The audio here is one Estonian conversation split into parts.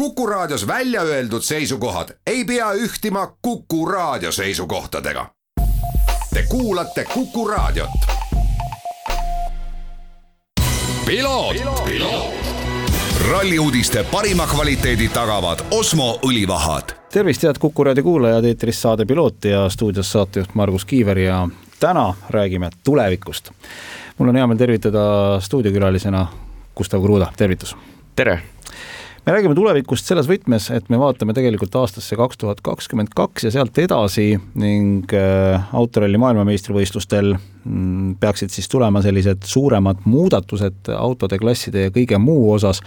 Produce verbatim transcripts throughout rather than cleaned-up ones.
Kuku Raadios välja öeldud seisukohad ei pea ühtima Kuku Raadio seisukohtadega. Te kuulate Kuku Raadiot. Piloot, Piloot. Ralliuudiste parima kvaliteedi tagavad Osmo õlivahad. Tervist, head Kuku Raadio kuulajad, eetris saade Piloot ja stuudios saatejuht Margus Kiiver ja täna räägime tulevikust. Mul on hea meel tervitada stuudiokülalisena Gustav Kruda. Tervitus. Tere! Me räägime tulevikust selles võtmes, et me vaatame tegelikult aastasse kaks tuhat kakskümmend kaks ja sealt edasi ning autoralli maailmameistrivõistlustel peaksid siis tulema sellised suuremad muudatused autode, klasside ja kõige muu osas.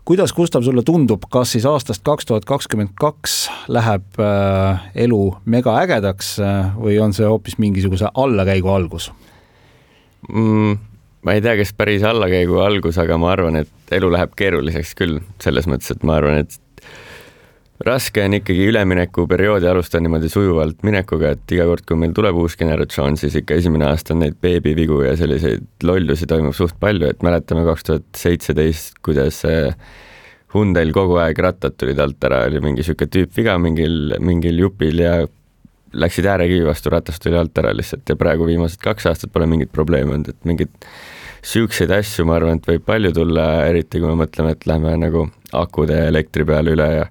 Kuidas, Gustav, sulle tundub, kas siis aastast kaks tuhat kakskümmend kaks läheb elu mega ägedaks või on see hoopis mingisuguse allakäigu algus? Mm. Ma ei tea, kes päris allakäigu algus, aga ma arvan, et elu läheb keeruliseks küll. Selles mõttes, et ma arvan, et raske on ikkagi ülemineku perioodi alustada niimoodi sujuvalt minekuga, et iga kord, kui meil tuleb uus generatsioon, siis ikka esimene aasta on neid beebivigu ja selliseid lollusi toimub suht palju, et mäletame kaks tuhat seitseteist, kuidas Hyundail kogu aeg rattad tulid alt ära, oli mingi süke tüüp viga mingil, mingil jupil ja läksid äärekivi vastu, ratast tuli alt ära lihtsalt ja praegu viimased kaks aastat pole mingit probleemi olnud, et mingid süükseid asju, ma arvan, et võib palju tulla, eriti kui me mõtleme, et lähme nagu akude ja elektri peale üle ja,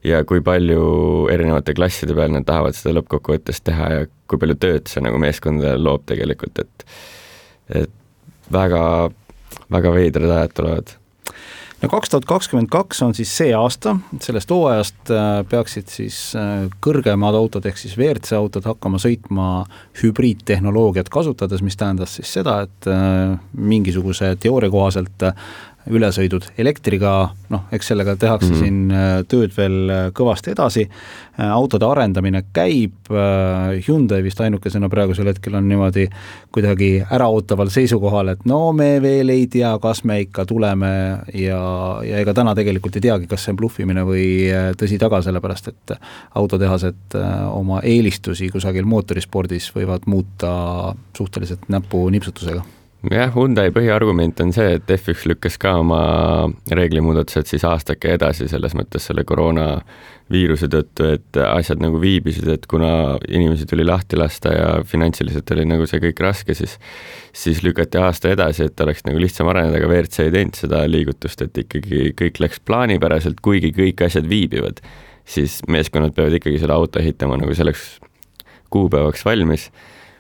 ja kui palju erinevate klasside peal nad tahavad seda lõppkokkuvõttes teha ja kui palju tööd see nagu meeskondadele loob tegelikult, et, et väga, väga veidrad ajad tulevad. No kaks tuhat kakskümmend kaks on siis see aasta, sellest hooajast peaksid siis kõrgemad autod ehk siis V R C autod hakkama sõitma hübriidtehnoloogiat kasutades, mis tähendas siis seda, et mingisuguse teooria kohaselt ülesõidud elektriga, noh, eks sellega tehakse mm-hmm. siin tööd veel kõvasti edasi. Autode arendamine käib, Hyundai vist ainukesena praegusel hetkel on niimoodi kuidagi äraootaval seisukohal, et no me veel ei tea, kas me ikka tuleme ja, ja ega täna tegelikult ei teagi, kas see on bluffimine või tõsi taga, sellepärast, et autotehased oma eelistusi kusagil mootorispordis võivad muuta suhteliselt näpu nipsutusega. Jah, Hyundai põhiargument on see, et F üks lükkas ka oma reeglimuudatused siis aastake edasi selles mõttes selle koroona viiruse tõttu, et asjad nagu viibisid, et kuna inimesi tuli lahti lasta ja finantsiliselt oli nagu see kõik raske, siis, siis lükati aasta edasi, et oleks nagu lihtsam areneda, aga V R C ei teinud seda liigutust, et ikkagi kõik läks plaanipäraselt, kuigi kõik asjad viibivad, siis meeskonnad peavad ikkagi selle auto ehitama nagu selleks kuupäevaks valmis.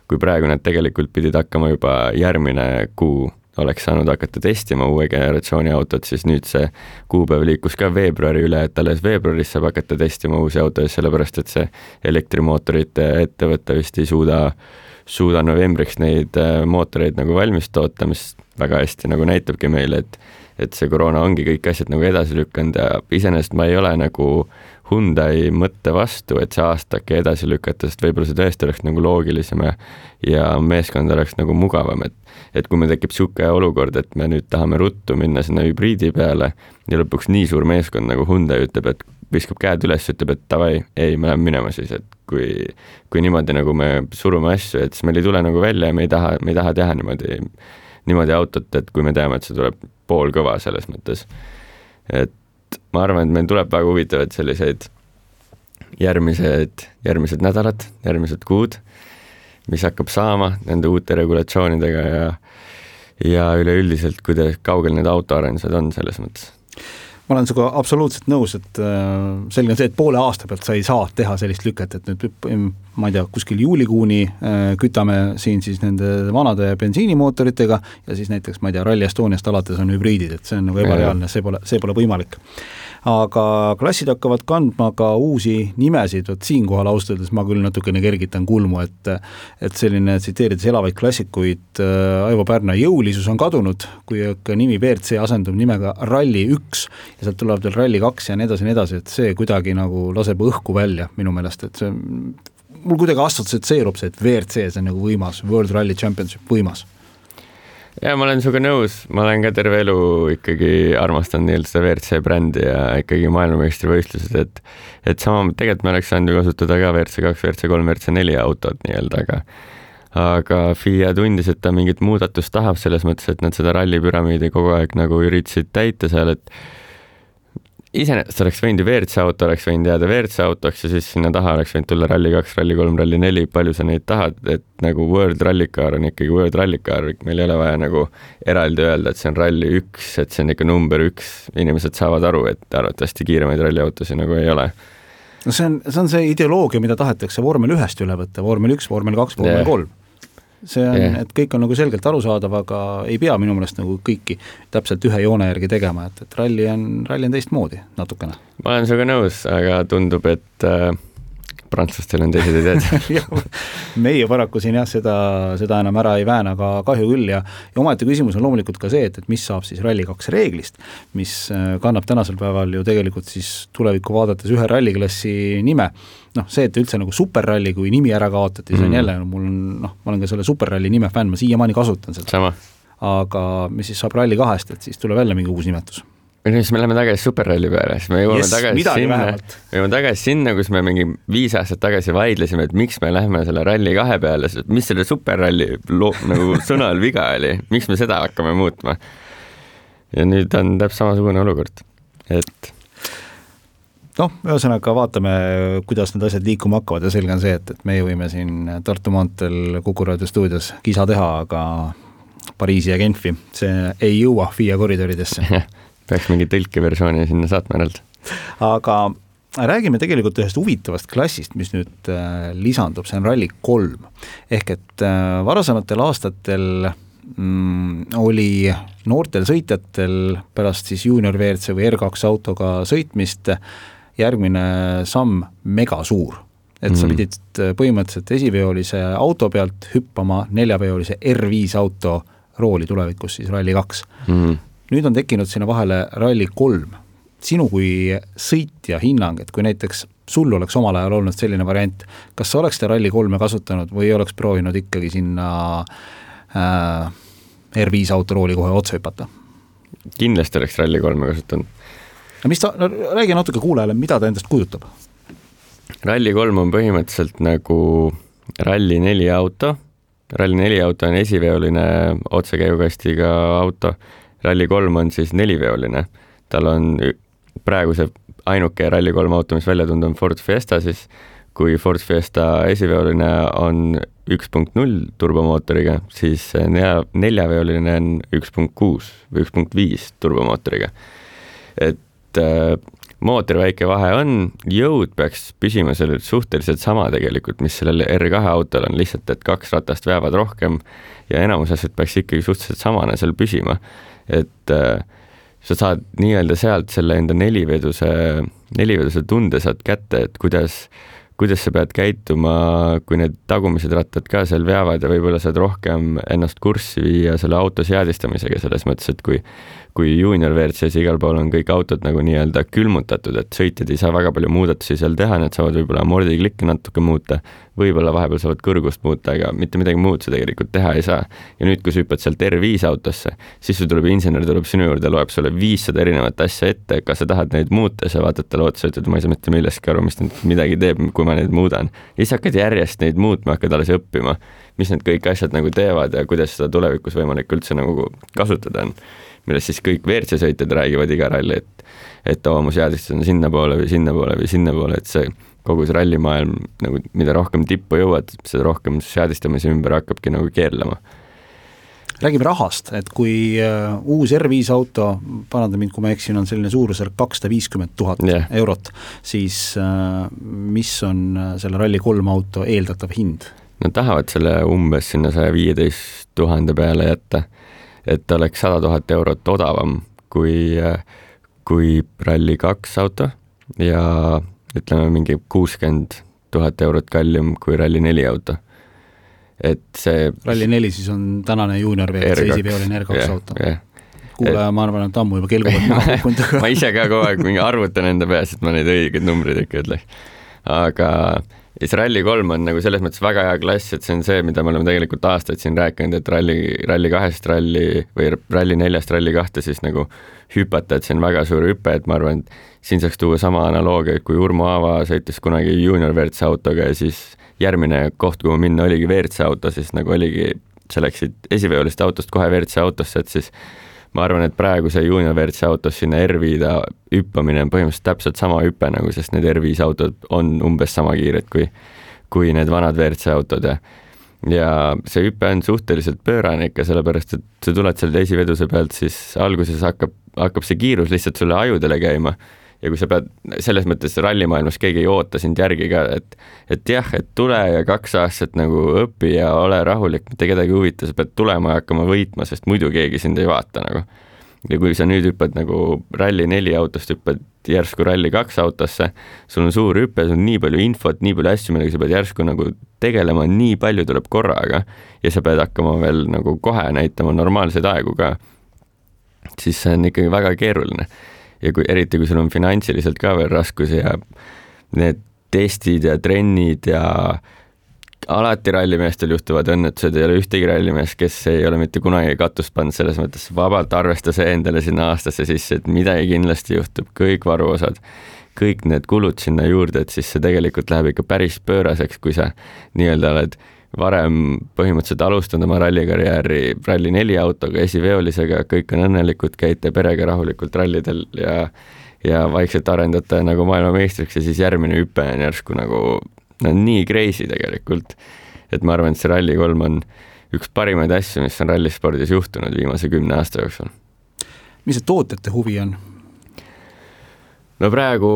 Kui praegu nad tegelikult pidid hakkama juba järgmine kuu oleks saanud hakata testima uue generatsiooni autot, siis nüüd see kuupäev liikus ka veebruari üle, et alles veebruaris saab hakata testima uusi autoid, sellepärast et see elektrimootorite ettevõte vist ei suuda, suuda novembriks neid mootoreid nagu valmis toota, mis väga hästi nagu näitabki meile, et, et see koroona ongi kõik asjad nagu edasi lükkanud ja iseenesest ma ei ole nagu Hyundai mõtte vastu, et see aastake edasi lükata, sest võib-olla see tõesti oleks nagu loogilisem ja meeskond oleks nagu mugavam, et, et kui me tekib suke olukord, et me nüüd tahame ruttu minna sinna hübriidi peale ja lõpuks nii suur meeskond nagu Hyundai ütleb, et viskab käed üles, ütleb, et davai, ei, me läheme minema siis, et kui, kui niimoodi nagu me surume asju, et siis meil ei tule nagu välja ja me ei taha, me ei taha teha niimoodi, niimoodi autot, et kui me teame, et see tuleb pool kõva selles mõttes, et ma arvan, et meil tuleb väga huvitavad selliseid järgmised, järgmised nädalad, järgmised kuud, mis hakkab saama nende uute regulatsioonidega ja, ja üleüldiselt, kuidas kaugel need autoarendused on selles mõttes. Ma olen sinuga absoluutselt nõus, et selline on see, et poole aasta pealt sa ei saa teha sellist lüket, et nüüd, ma ei tea, kuskil juulikuuni kütame siin siis nende vanade bensiinimootoritega ja siis näiteks, ma ei tea, Rally Estoniast alates on hübriidid, et see on nagu ebareaalne, see pole, see pole võimalik. Aga klassid hakkavad kandma ka uusi nimesid, et siinkohal austades ma küll natukene kergitan kulmu, et, et selline tsiteerides elavaid klassikuid Aivo Pärna jõulisus on kadunud, kui nimi V R C asendub nimega Rally üks ja sealt tuleb veel Rally kaks ja nii edasi, nii edasi, et see kuidagi nagu laseb õhku välja minu meelest, et see, mul kuidagi assotsieerub see, et V R C see on nagu võimas, World Rally Championship võimas. Ja ma olen suga nõus, ma olen ka terve elu ikkagi armastanud nii seda V R C brändi ja ikkagi maailmameistrivõistlused, et, et sama, tegelikult me oleks saanud ju kasutada ka V R C kaks, V R C kolm, V R C neli autot nii-öelda, aga aga F I A tundis, et ta mingit muudatust tahab selles mõttes, et nad seda rallipüramiidi kogu aeg nagu üritasid täita seal, et iseenesest oleks võinud ju V R C auto, oleks võinud jääda V R C autoks ja siis sinna taha oleks võinud tulla Rally kaks, Rally kolm, Rally neli, palju sa neid tahad, et nagu World Rally Car on ikkagi World Rally Car, meil ei ole vaja nagu eraldi öelda, et see on Rally üks, et see on ikka number üks, inimesed saavad aru, et arvatavasti kiiremaid ralliautosid nagu ei ole. No see on, see on see ideoloogia, mida tahetakse vormel ühest üle võtta, vormel üks, vormel kaks, vormel yeah. kolm. See on, yeah. et kõik on nagu selgelt arusaadav, aga ei pea minu meelest nagu kõiki täpselt ühe joone järgi tegema, et, et ralli on, ralli on teistmoodi natukene. Ma olen sinuga nõus, aga tundub, et äh, prantslastel on teised ideed. Meie paraku siin jah, seda, seda enam ära ei vääna, aga kahju küll ja, ja omaette küsimus on loomulikult ka see, et, et mis saab siis Rally kaks reeglist, mis kannab tänasel päeval ju tegelikult siis tulevikku vaadates ühe ralliklassi nime. noh, see, et üldse nagu superralli, kui nimi ära kaotati, see on mm. jälle, no, mul on, noh, ma olen ka selle superralli nime fänn, ma siiamaani kasutan seda. Sama. Aga mis siis saab Rally kahest, et siis tuleb jälle mingi uus nimetus. Või siis me läheme tagasi superralli peale, siis me jõuame yes, tagasi sinna, me jõuame tagasi sinna, kus me mingi viis aastat tagasi vaidlesime, et miks me lähme selle Rally kahe peale, mis selle superralli lo- nagu sõnal viga oli, miks me seda hakkame muutma. Ja nüüd on täpselt samasugune olukord, et noh, ühesõnaga vaatame, kuidas need asjad liikuma hakkavad ja selge on see, et, et meie võime siin Tartu maanteel Kuku Raadio stuudios kisa teha, aga Pariisi ja Genfi, see ei jõua FIA koridoridesse. Peaks mingi tõlkeversiooni sinna saatma eraldi. Aga räägime tegelikult ühest huvitavast klassist, mis nüüd lisandub, see on Rally kolm. Ehk et varasematel aastatel mm, oli noortel sõitjatel pärast siis junior V R C või R kaks autoga sõitmist järgmine samm mega suur. Et mm. sa pidid põhimõtteliselt esiveolise auto pealt hüppama neljaveolise R viis auto rooli tulevikus siis Rally kaks. Mm. Nüüd on tekkinud sinna vahele Rally kolm. Sinu kui sõitja hinnang, et kui näiteks sul oleks omal ajal olnud selline variant, kas sa oleks te Rally kolme kasutanud või oleks proovinud ikkagi sinna äh, R viis auto rooli kohe otse hüpata? Kindlasti oleks Rally kolme kasutanud. Mis ta, no, räägi natuke kuulajale, mida ta endast kujutab? Rally kolm on põhimõtteliselt nagu Rally neli auto. Rally neli auto on esiveoline otsekäigukastiga auto. Rally kolm on siis neliveoline. Tal on praegu see ainuke Rally kolm auto, mis välja tunda on Ford Fiesta, siis kui Ford Fiesta esiveoline on üks punkt null turbomootoriga, siis neljaveoline on üks punkt kuus või üks punkt viis turbomootoriga. Et mootori väike vahe on, jõud peaks püsima sellel suhteliselt sama tegelikult, mis sellel R kahe autol on, lihtsalt, et kaks ratast veavad rohkem ja enamus asjad peaks ikkagi suhteliselt samana seal püsima. Et äh, sa saad nii-öelda sealt selle enda neliveduse, neliveduse tunde saad kätte, et kuidas, kuidas sa pead käituma, kui need tagumised rattad ka seal veavad ja võib-olla saad rohkem ennast kurssi viia selle auto seadistamisega selles mõttes, et kui kui junior V R C-s igal pool on kõik autod nagu nii-öelda külmutatud, et sõitjad ei saa väga palju muudatusi seal teha, need saavad võib-olla mordiklikke natuke muuta, võib-olla vahepeal saavad kõrgust muuta, aga mitte midagi muud sa tegelikult teha ei saa. Ja nüüd, kui sa hüppad sealt R viis autosse, siis sul tuleb insener, tuleb sinu juurde, loeb sulle viissada erinevat asja ette, kas sa tahad neid muuta, sa vaatad talle otsa, ütled, ma ei saa mitte millestki aru, mis midagi teeb, kui ma neid muudan. Ja siis hakkad järjest neid muutma, hakkad alles õppima, mis need kõik asjad nagu teevad ja kuidas seda tulevikus võimalik üldse nagu kasutada on. Millest siis kõik V R C sõitjad räägivad iga ralli, et, et oma seadistus on sinna poole või sinna poole või sinna poole, et see kogu see rallimaailm, nagu, mida rohkem tippu jõuad, seda rohkem seadistamise ümber hakkabki nagu keerlema. Räägime rahast, et kui uh, uus R viis auto, paranda mind, kui ma eksin, on selline suurusjärk kakssada viiskümmend tuhat yeah. eurot, siis uh, mis on selle Rally kolm auto eeldatav hind? Nad tahavad selle umbes sinna saja viieteist tuhande peale jätta, et oleks sada tuhat eurot odavam kui, kui Rally kaks auto ja ütleme mingi kuuskümmend tuhat eurot kallim kui Rally neli auto. Et see Rally neli siis on tänane junior V R C esiveoline R kaks yeah, auto. Yeah. Kuulaja, ma arvan, et ammu juba kelguvad maha kukkunud. Ma ise ka kogu aeg mingi arvutan enda peas, et ma neid õigeid numbreid ikka ütleks. Aga siis Rally kolm on nagu selles mõttes väga hea klass, et see on see, mida me oleme tegelikult aastaid siin rääkinud, et Rally, Rally kahest ralli või Rally neljast Rally kahte siis nagu hüpata, et see on väga suur hüpe, et ma arvan, et siin saaks tuua sama analoogia, et kui Urmo Aava sõitis kunagi junior V R C autoga ja siis järgmine koht, kuhu minna oligi V R C auto, siis nagu oligi, sa läksid esiveolist autost kohe V R C autosse, et siis ma arvan, et praegu see juunior W R C autos sinna R viis hüppamine on põhimõtteliselt täpselt sama hüppe nagu, sest need R viis autod on umbes sama kiired kui, kui need vanad W R C autod ja, ja see hüppe on suhteliselt pöörane ikka, sellepärast, et sa tuled seal esiveduse pealt, siis alguses hakkab, hakkab see kiirus lihtsalt sulle ajudele käima ja kui sa pead, selles mõttes rallimaailmas keegi ei oota sind järgi ka, et, et jah, et tule ja kaks aastat nagu õpi ja ole rahulik, mitte kedagi huvita, sa pead tulema ja hakkama võitma, sest muidu keegi sind ei vaata nagu. Ja kui sa nüüd hüppad nagu ralli neli autost, hüppad järsku ralli kaks autosse, sul on suur hüppe, sul on nii palju infot, nii palju asju, millega sa pead järsku nagu tegelema, nii palju tuleb korraga ja sa pead hakkama veel nagu kohe näitama normaalseid aegu ka, siis see on ikkagi väga keeruline. Ja kui, eriti kui sul on finantsiliselt ka veel raskusi ja need testid ja trennid ja alati rallimeestel juhtuvad õnnetused, ei ole ühtegi rallimees, kes ei ole mitte kunagi katust pannud, selles mõttes vabalt arvesta see endale sinna aastasse sisse, et midagi kindlasti juhtub, kõik varuosad, kõik need kulud sinna juurde, et siis see tegelikult läheb ikka päris pööraseks, kui sa nii-öelda oled varem põhimõtteliselt alustanud oma rallikarjääri ralli neli autoga, esiveolisega, kõik on õnnelikud, käite perega rahulikult rallidel ja, ja vaikselt arendate nagu maailmameistriks ja siis järgmine hüpe on järsku nagu no, nii crazy tegelikult, et ma arvan, et see ralli kolm on üks parimaid asju, mis on rallispordis juhtunud viimase kümne aasta jooksul. Mis see tootjate huvi on? No praegu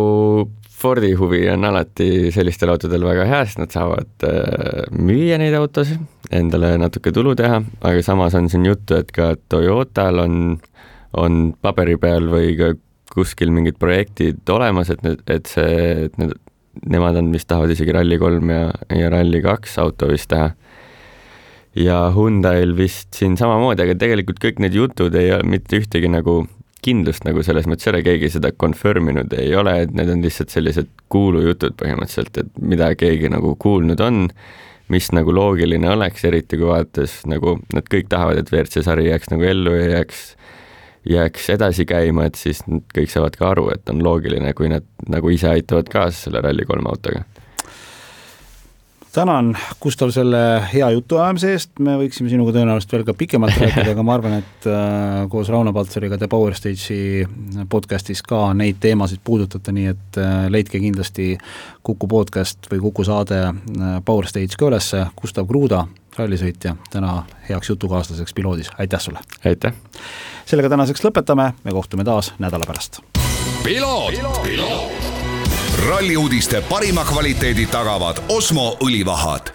Fordi huvi on alati sellistel autodel väga hea, sest nad saavad müüa neid autosid, endale natuke tulu teha, aga samas on siin juttu, et ka Toyotal on, on paberi peal või ka kuskil mingid projektid olemas, et, need, et, see, et need, nemad on vist tahavad isegi ralli kolm ja, ja ralli kaks auto vist teha. Ja Hyundail vist siin samamoodi, aga tegelikult kõik need jutud ei ole mitte ühtegi nagu kindlust nagu selles mõttes, ei ole keegi seda confirminud ei ole, et need on lihtsalt sellised kuulujutud põhimõtteliselt, et mida keegi nagu kuulnud on, mis nagu loogiline oleks, eriti kui vaadates nagu nad kõik tahavad, et W R C sari jääks nagu ellu ja jääks, jääks edasi käima, et siis kõik saavad ka aru, et on loogiline, kui nad nagu ise aitavad kaasa selle ralli kolm autoga. Tänan, Gustav, selle hea jutu ajamise eest, me võiksime sinuga tõenäoliselt veel ka pikemalt rääkida, aga ma arvan, et äh, koos Rauno Paltsariga The Power Stage'i podcastis ka neid teemasid puudutada, nii et äh, leidke kindlasti Kuku podcast või Kuku saade äh, Power Stage ka ülesse. Gustav Kruda, rallisõitja, täna heaks jutukaaslaseks piloodis. Aitäh sulle! Aitäh! Sellega tänaseks lõpetame, me kohtume taas nädala pärast. Piloot! Piloot! Ralliuudiste parima kvaliteedi tagavad Osmo õlivahad.